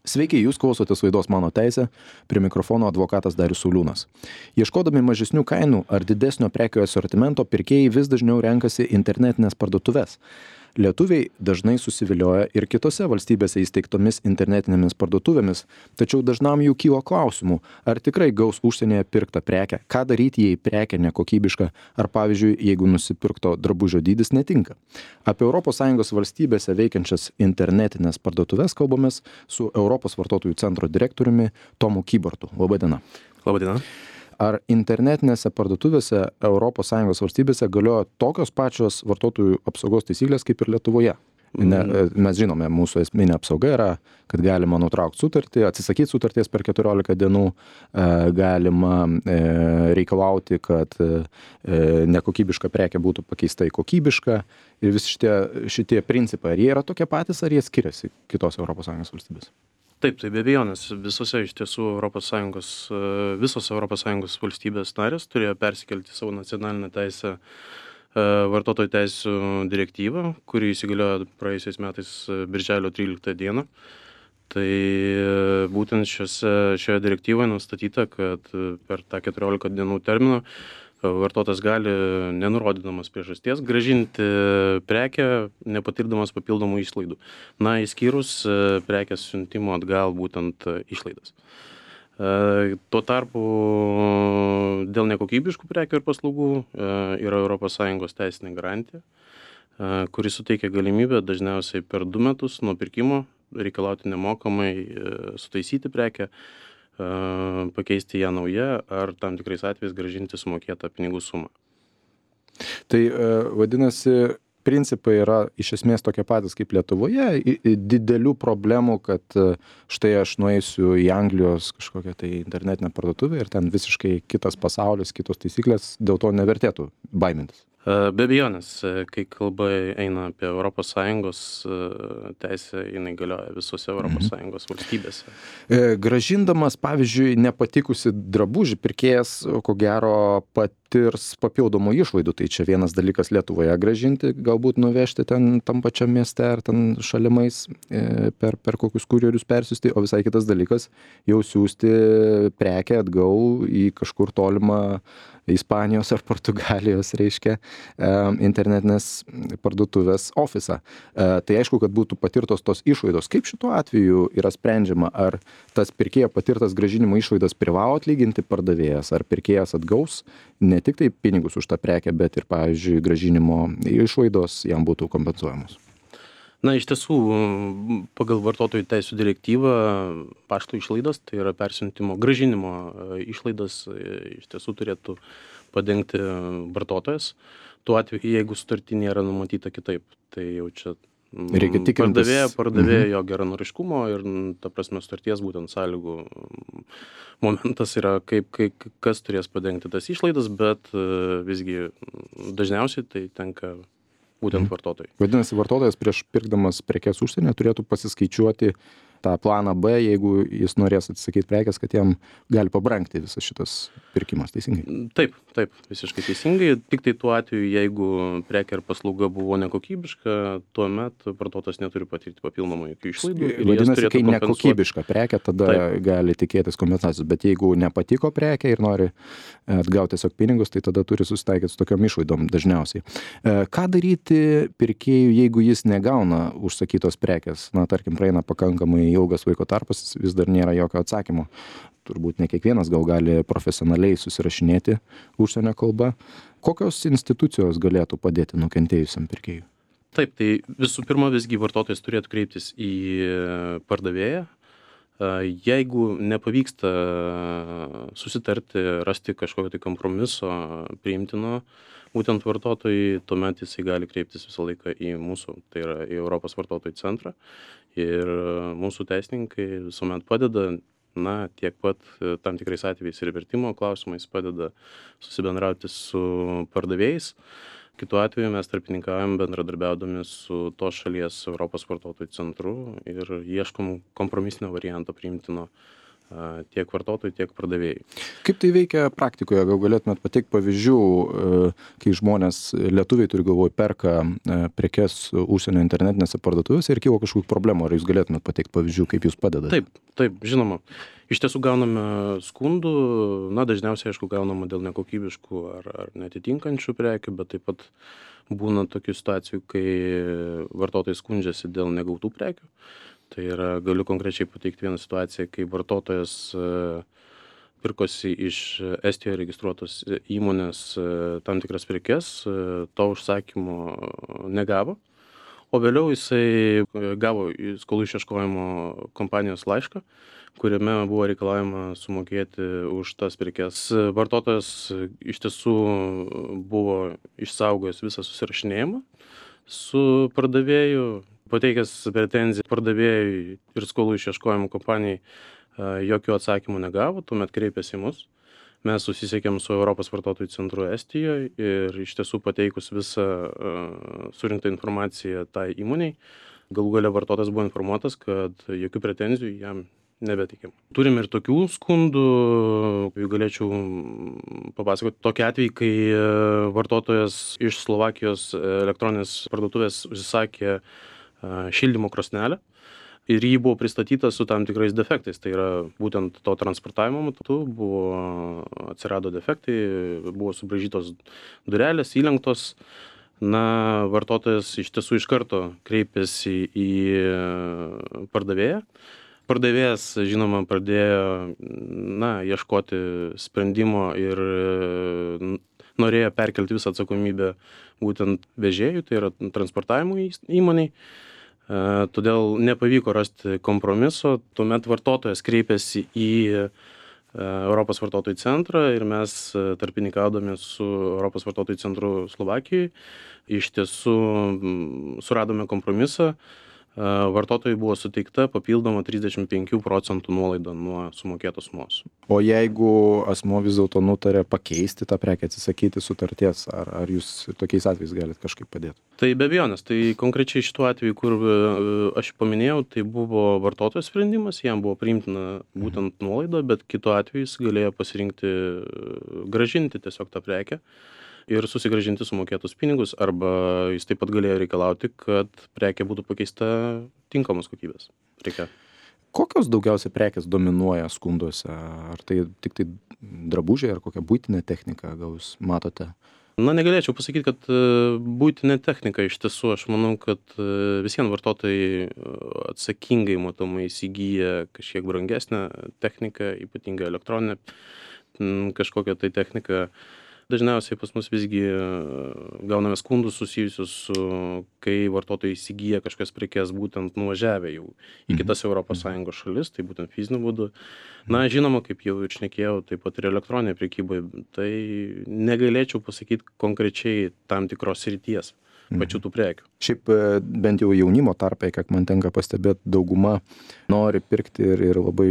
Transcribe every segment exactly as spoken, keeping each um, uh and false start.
Sveiki, jūs klausotės laidos Mano teisė, prie mikrofono advokatas Darius Sauliūnas. Ieškodami mažesnių kainų ar didesnio prekių asortimento, pirkėjai vis dažniau renkasi internetinės parduotuves. Lietuviai dažnai susivilioja ir kitose valstybėse įsteigtomis internetinėmis parduotuvėmis, tačiau dažnam jų kyla klausimų, ar tikrai gaus užsienyje pirktą prekę, ką daryti, jei prekė nekokybiška, ar pavyzdžiui, jeigu nusipirkto drabužio dydis netinka. Apie Europos Sąjungos valstybėse veikiančias internetinės parduotuves kalbamės su Europos vartotojų centro direktoriumi Tomu Kybartu. Labadiena. Labadiena. Ar internetinėse parduotuvėse Europos Sąjungos valstybėse galioja tokios pačios vartotojų apsaugos taisyklės kaip ir Lietuvoje? Ne, mes žinome, mūsų esminė apsauga yra, kad galima nutraukti sutartį, atsisakyti sutarties per keturiolika dienų, galima reikalauti, kad nekokybiška prekė būtų pakeista į kokybišką. Ir visi šitie, šitie principai, ar jie yra tokie patys, ar jie skiriasi kitos Europos Sąjungos valstybės? Taip, tai be abejonės, visose iš tiesų Europos Sąjungos, visos Europos Sąjungos valstybės narės turėjo persikelti savo nacionalinę teisę vartotojų teisių direktyvą, kuri įsigaliojo praėjusiais metais birželio tryliktą dieną. Tai būtent šiose, šioje direktyvoje nustatyta, kad per tą keturiolika dienų terminą vartotojas gali, nenurodydamas priežasties, grąžinti prekę, nepatirdamas papildomų išlaidų. Na, išskyrus prekės siuntimo atgal būtent išlaidas. Tuo tarpu dėl nekokybiškų prekių ir paslaugų yra Europos Sąjungos teisinė garantija, kuri suteikia galimybę dažniausiai per du metus nuo pirkimo reikalauti nemokamai sutaisyti prekę, pakeisti ją naują ar tam tikrais atvejais grąžinti sumokėtą pinigų sumą. Tai vadinasi, principai yra iš esmės tokie patys kaip Lietuvoje, didelių problemų, kad štai aš nueisiu į Anglijos kažkokią tai internetinę parduotuvę ir ten visiškai kitas pasaulis, kitos taisyklės, dėl to nevertėtų baimintis. Be abejonės, kai kalba eina apie Europos Sąjungos teisę, jinai galioja visose Europos Sąjungos valstybėse. Gražindamas, pavyzdžiui, nepatikusi drabužį, pirkėjas, ko gero, patirs papildomų išlaidų. Tai čia vienas dalykas Lietuvoje grąžinti, galbūt nuvežti ten tam pačiam mieste ar ten šalimais per, per kokius kurjerius persiųsti, o visai kitas dalykas jau siųsti prekę atgal į kažkur tolimą Ispanijos ar Portugalijos, reiškia, internetinės parduotuvės ofisą. Tai aišku, kad būtų patirtos tos išlaidos. Kaip šituo atveju yra sprendžiama, ar tas pirkėjo patirtas grąžinimo išlaidas privalo atlyginti pardavėjas, ar pirkėjas atgaus ne tik tai pinigus už tą prekę, bet ir, pavyzdžiui, grąžinimo išlaidos jam būtų kompensuojamos? Na, iš tiesų, pagal vartotojų teisių direktyvą pašto išlaidas, tai yra persiuntimo, grąžinimo išlaidas, iš tiesų turėtų padengti vartotojas. Tuo atveju, jeigu sutarty nėra numatyta kitaip, tai jau čia pardavėjo, pardavėjo jo geranoriškumo ir, ta prasme, sutarties būtent sąlygų momentas yra, kaip, kaip, kas turės padengti tas išlaidas, bet visgi dažniausiai tai tenka būtent vartotojai. Vadinasi, vartotojas prieš pirkdamas prekes užsienyje turėtų pasiskaičiuoti tą planą B, jeigu jis norės atsisakyti prekės, kad jam gali pabrangti visas šitas pirkimas, teisingai? Taip, taip, visiškai teisingai. Tik tai tuo atveju, jeigu prekė ar paslauga buvo nekokybiška, tuomet vartotojas neturi patirti papildomų jokių išlaidų. Vadinasi, kai nekokybiška prekė, tada taip gali tikėtis kompensacijos, bet jeigu nepatiko prekė ir nori atgauti tiesiog pinigus, tai tada turi susitaikyti su tokiom išlaidom dažniausiai. Ką daryti pirkėjui, jeigu jis negauna užsakytos prekės? Na, tarkim, praeina pakankamai ilgas laiko tarpas, vis dar nėra jokio atsakymo. Turbūt ne kiekvienas gal gali profesionaliai susirašinėti užsienio kalba. Kokios institucijos galėtų padėti nukentėjusiam pirkėjui? Taip, tai visų pirma visgi vartotojas turėtų kreiptis į pardavėją. Jeigu nepavyksta susitarti, rasti kažkokio tai kompromiso priimtino, būtent vartotojai, tuomet jisai gali kreiptis visą laiką į mūsų, tai yra į Europos vartotojų centrą. Ir mūsų teisininkai visuomet padeda, na, tiek pat tam tikrais atvejais ir vertimo klausimais padeda susibendrauti su pardavėjais. Kitu atveju mes tarpininkaujam bendradarbiaudami su tos šalies Europos vartotojų centru ir ieškom kompromisinio varianto priimtino tiek vartotojui, tiek pardavėjui. Kaip tai veikia praktikoje? Gal galėtumėt pateikti pavyzdžių, kai žmonės, lietuviai turi galvoj, perka prekes užsienio internetinėse parduotuvėse ir kyla kažkokių problemų? Ar jūs galėtumėt pateikti pavyzdžių, kaip jūs padedate? Taip, taip, žinoma. Iš tiesų gauname skundų, na, dažniausiai, aišku, gaunama dėl nekokybiškų ar, ar netitinkančių prekių, bet taip pat būna tokių situacijų, kai vartotojai skundžiasi dėl negautų prekių. Tai yra, galiu konkrečiai pateikti vieną situaciją, kai vartotojas pirkosi iš Estijoje registruotos įmonės tam tikras prekes, to užsakymo negavo, o vėliau jisai gavo skolų išieškojimo kompanijos laišką, kuriame buvo reikalavima sumokėti už tas prekes. Vartotojas iš tiesų buvo išsaugojęs visą susirašinėjimą su pardavėju, pateikęs pretenziją pardavėjui ir skolų išieškojimo kompanijai, jokių atsakymų negavo, tuomet kreipėsi į mus. Mes susisiekėm su Europos vartotojų centru Estijoje ir iš tiesų pateikus visą surinktą informaciją tai įmoniai, galų gale vartotojas buvo informuotas, kad jokių pretenzijų jam nebeteikiam. Turim ir tokių skundų, jeigu galėčiau papasakoti, tokį atvejį, kai vartotojas iš Slovakijos elektroninės parduotuvės užsisakė šildymo krosnelę ir jį buvo pristatyta su tam tikrais defektais. Tai yra būtent to transportavimo metu buvo, atsirado defektai, buvo subraižytos durelės, įlenktos. Na, vartotojas iš tiesų iš karto kreipėsi į pardavėją. Pardavėjas, žinoma, pradėjo, na, ieškoti sprendimo ir norėjo perkelti visą atsakomybę būtent vežėjų, tai yra transportavimo įmoniai. Todėl nepavyko rasti kompromiso. Tuomet vartotojas kreipėsi į Europos vartotojų centrą ir mes tarpininkaudami su Europos vartotojų centru Slovakijoje iš tiesų suradome kompromisą. Vartotojui buvo suteikta papildoma trisdešimt penkių procentų nuolaida nuo sumokėtos sumos. O jeigu asmuo vis dėlto nutarė pakeisti tą prekę, atsisakyti sutarties, ar, ar jūs tokiais atvejais galite kažkaip padėti? Tai be abejonės, tai konkrečiai šituo atveju, kur aš paminėjau, tai buvo vartotojo sprendimas, jam buvo priimtina būtent nuolaida, bet kitu atveju jis galėjo pasirinkti grąžinti tiesiog tą prekę ir susigrąžinti sumokėtus pinigus, arba jis taip pat galėjo reikalauti, kad prekė būtų pakeista tinkamos kokybės preke. Kokios daugiausiai prekės dominuoja skunduose? Ar tai tik tai drabužiai, ar kokia buitinė technika, gal jūs matote? Na, negalėčiau pasakyti, kad buitinė technika iš tiesų, aš manau, kad visiems vartotojai atsakingai matomai įsigyja kažkiek brangesnę techniką, ypatingai elektroninę kažkokią tai techniką. Dažniausiai pas mus visgi gauname skundus susijusius su, kai vartotojai įsigyja kažkas prekes būtent nuvažiavę jau į kitas Europos Sąjungos šalis, tai būtent fiziniu būdu. Na, žinoma, kaip jau ir šnekėjau, taip pat ir elektroninė prekyba, tai negalėčiau pasakyti konkrečiai tam tikros srities pačių tų prekių. Šiaip bent jau jaunimo tarpe, kiek man tenka pastebėti, dauguma nori pirkti ir, ir labai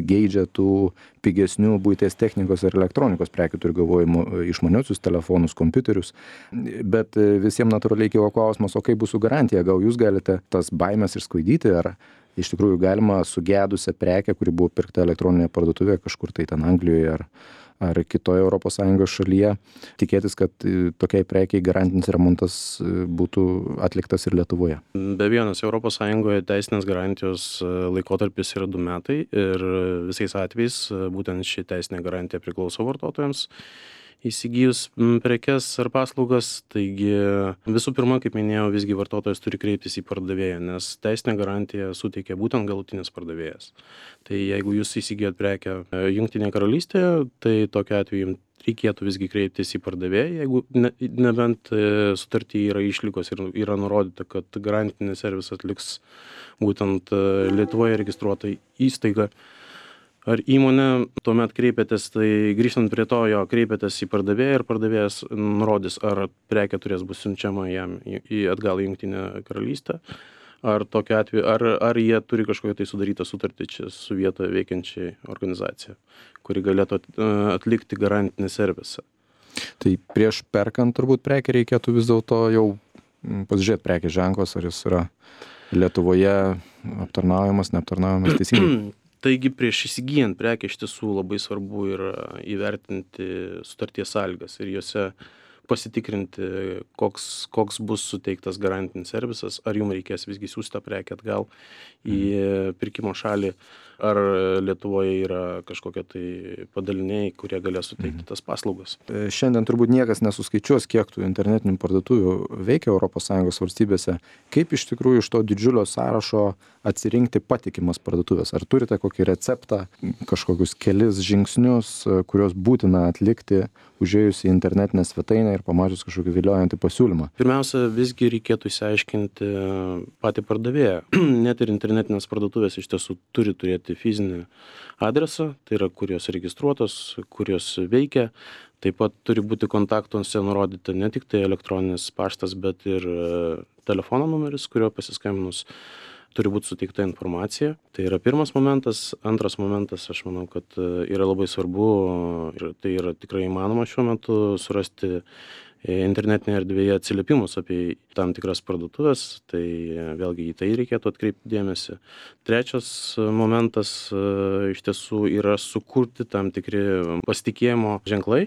geidžia tų pigesnių buities technikos ir elektronikos prekių, turiu galvojimo išmaniuosius telefonus, kompiuterius, bet visiems natūraliai kilo klausimas, o kaip bus su garantija, gal jūs galite tas baimės išsklaidyti, ar iš tikrųjų galima sugedusią prekę, kuri buvo pirkta elektroninėje parduotuvėje kažkur tai ten Anglijoje ar ar kitoje Europos Sąjungos šalyje, tikėtis, kad tokiai prekiai garantinis remontas būtų atliktas ir Lietuvoje? Be abejonės, Europos Sąjungoje teisinės garantijos laikotarpis yra du metai ir visais atvejais būtent ši teisinė garantija priklauso vartotojams įsigijus prekes ar paslaugas. Taigi visų pirma, kaip minėjau, visgi vartotojas turi kreiptis į pardavėją, nes teisinę garantiją suteikia būtent galutinis pardavėjas. Tai jeigu jūs įsigijot prekę Jungtinėje karalystėje, tai tokiu atveju reikėtų visgi kreiptis į pardavėją, jeigu ne, nebent sutartyje yra išlygos ir yra nurodyta, kad garantinį servisą atliks būtent Lietuvoje registruota įstaiga ar įmonė, tuomet kreipėtės, tai grįžtant prie to, jo kreipėtės į pardavėją ir pardavėjas nurodys, ar prekė turės bus siunčiama jam į, į atgal į Jungtinę karalystę, ar tokiu atveju, ar, ar jie turi kažkokią tai sudarytą sutartį čia su vietoje veikiančiai organizacija, kuri galėtų atlikti garantinį servisą. Tai prieš perkant turbūt prekę reikėtų vis dėlto jau pasižiūrėti prekės ženklos, ar jis yra Lietuvoje aptarnaujamas, neaptarnaujamas teisingai. Taigi prieš įsigyjant prekę iš tiesų labai svarbu yra įvertinti sutarties sąlygas ir jose pasitikrinti, koks, koks bus suteiktas garantinis servisas, ar jums reikės visgi siųsti tą prekę atgal į pirkimo šalį, ar Lietuvoje yra kažkokie tai padaliniai, kurie galės suteikti tas paslaugas. Šiandien turbūt niekas nesuskaičiuos, kiek tų internetinių parduotuvių veikia Europos Sąjungos valstybėse. Kaip iš tikrųjų iš to didžiulio sąrašo atsirinkti patikimas parduotuvės? Ar turite kokį receptą, kažkokius kelis žingsnius, kuriuos būtina atlikti, užėjus į internetinę svetainę ir pamačius kažkokį viliojantį pasiūlymą? Pirmiausia, visgi reikėtų išsiaiškinti patį pardavėją. Net ir internetinės parduotuvės iš tiesų turi turėti fizinį adresą, tai yra, kur jos registruotos, kur jos veikia. Taip pat turi būti kontaktuose nurodyta ne tik tai elektroninis paštas, bet ir telefono numeris, kurio pasiskambinus turi būti suteikta informacija. Tai yra pirmas momentas. Antras momentas, aš manau, kad yra labai svarbu ir tai yra tikrai įmanoma šiuo metu surasti internetinėje erdvėje atsiliepimus apie tam tikras parduotuvės, tai vėlgi į tai reikėtų atkreipti dėmesį. Trečias momentas iš tiesų yra sukurti tam tikri pasitikėjimo ženklai.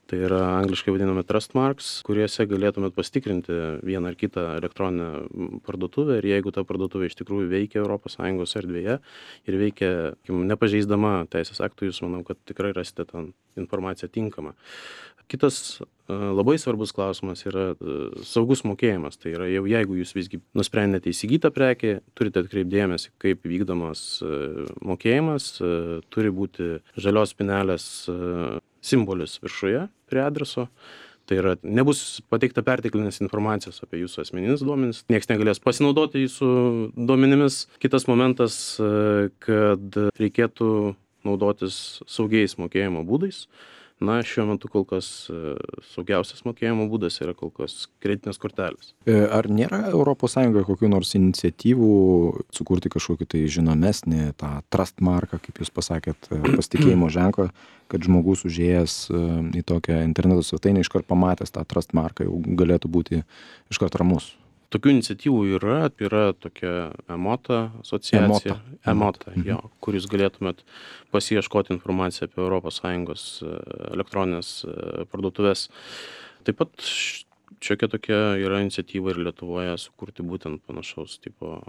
Tai yra angliškai vadinami trust marks, kuriuose galėtumėt pasitikrinti vieną ar kitą elektroninę parduotuvę ir jeigu ta parduotuvė iš tikrųjų veikia Europos Sąjungos erdvėje ir veikia nepažeisdama teisės aktų, jūs manau, kad tikrai rasite tą informaciją tinkamą. Kitas labai svarbus klausimas yra saugus mokėjimas. Tai yra jau jeigu jūs visgi nusprendėte įsigyti prekę, turite atkreipti dėmesį, kaip vykdomas mokėjimas, turi būti žalios spynelės simbolis viršuje prie adreso. Tai yra, nebus pateikta perteklinės informacijos apie jūsų asmeninius duomenis, nieks negalės pasinaudoti jūsų duomenimis. Kitas momentas, kad reikėtų naudotis saugiais mokėjimo būdais. Na, šiuo metu kol kas saugiausias mokėjimo būdas yra kol kas kreditinės kortelės. Ar nėra Europos Sąjungoje kokių nors iniciatyvų sukurti kažkokį tai žinomesnį, tą trust marką, kaip jūs pasakėt, pasitikėjimo ženklą, kad žmogus užėjęs į tokią interneto svetainę iškart pamatęs tą trust marką jau galėtų būti iškart ramus? Tokių iniciatyvų yra, yra tokia Emota asociacija, Emota, Emota jo, kur jūs galėtumėt pasiieškoti informaciją apie Europos Sąjungos elektroninės parduotuvės. Taip pat šiokia tokia yra iniciatyva ir Lietuvoje sukurti būtent panašaus tipo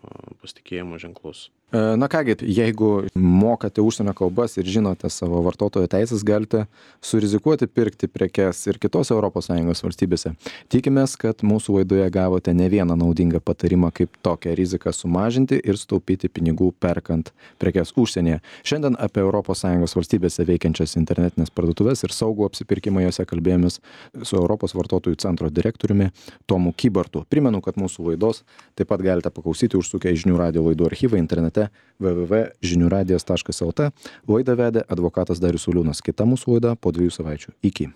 pasitikėjimo ženklus. Na kągi, jeigu mokate užsienio kalbas ir žinote savo vartotojo teisės, galite surizikuoti pirkti prekes ir kitose Europos Sąjungos valstybėse. Tikimės, kad mūsų laidoje gavote ne vieną naudingą patarimą, kaip tokią riziką sumažinti ir sutaupyti pinigų perkant prekes užsienyje. Šiandien apie Europos Sąjungos valstybėse veikiančias internetinės parduotuvės ir saugų apsipirkimą jose kalbėjomės su Europos vartotojų centro direktoriumi Tomu Kybartu. Primenu, kad mūsų laidos taip pat galite paklausyti užsukę į Žinių radijo laidų archyvą internete w w w taškas žinių radijas taškas l t. Laidą vedė advokatas Darius Uliūnas. Kita mūsų laida po dviejų savaičių. Iki.